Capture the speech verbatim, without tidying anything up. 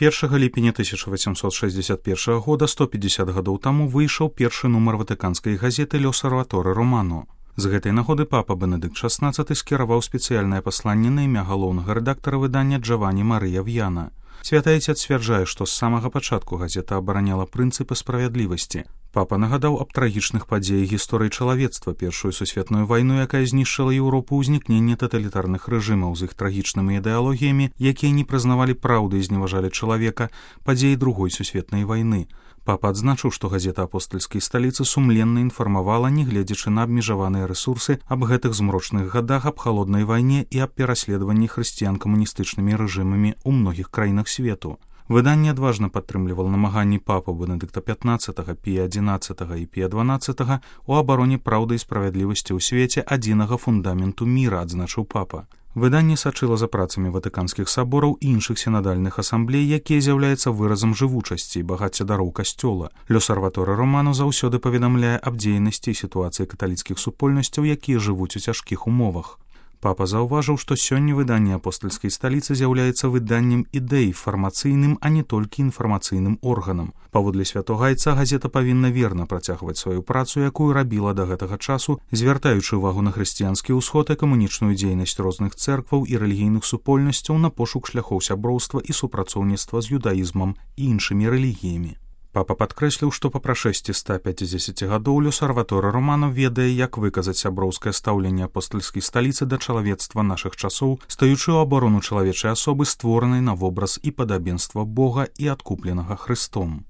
першага ліпеня тысяча васемсот шэсцьдзесят першага года, сто пятьдесят гадоў таму, выйшаў першы нумар ватыканскай газеты «L'Osservatore Romano». З гэтай нагоды папа Бенедыкт шаснаццаты скіраваў спецыяльнае пасланне на імя галоўнага рэдактара выдання Джавані Марыя В'яна. Святы Айцец сцвярджае, што з самага пачатку газета абараняла прынцыпы справядлівасці. Папа нагадаў аб трагічных падзеях гісторыі чалавецтва, першую сусветную вайну, якая знішчыла Еўропу, ўзнікненне таталітарных рэжымаў з іх трагічнымі ідэалогіямі, якія не прызнавалі праўды і зневажалі чалавека, падзеі другой сусветнай вайны. Папа адзначыў, што газета апостальскай сталіцы сумленна інфармавала, нягледзячы на абмежаваныя рэсурсы, аб гэтых змрочных гадах, аб халоднай вайне і аб пераследаванні хрысціян камуністычнымі рэжымамі ў многіх краінах свету. Выданне адважна падтрымлівала намаганні папы Бенедыкта пятнаццатага, Пія адзінаццатага і Пія дванаццатага у абароне праўды і справядлівасці ў свеце, адзінага фундаменту міра, адзначыў папа. Выданне сачыла за працамі ватыканскіх сабораў і іншых сінадальных асамблей, якія з'яўляюцца выразам жывучасці і багацця дароў касцёла. «L'Osservatore Romano» заўсёды паведамляе аб дзейнасці і сітуацыі каталіцкіх супольнасцяў, якія жывуць у цяжкіх умовах. Папа заўважыў, што сёння выданне апостальскай сталіцы з'яўляецца выданнем ідэй, фармацыйным, а не толькі інфармацыйным органам. Паводле святога Айца газета павінна верна працягваць сваю працу, якую рабіла да гэтага часу, звяртаючы ўвагу на хрысціянскі ўсход, экамунічную дзейнасць розных цэркваў і рэлігійных супольнасцяў, на пошук шляхоў сяброўства і супрацоўніцтва з юдаізмам і іншымі рэлігіямі. Папа падкрэсліў, што па прашэсці ста пяцідзесяці гадоў «L'Osservatore Romano» ведае, як выказаць сяброўскае стаўленне апостальскай сталіцы да чалавецтва нашых часоў, стаючы ў абарону чалавечай асобы, створанай на вобраз і падабенства Бога і адкупленага Хрыстом.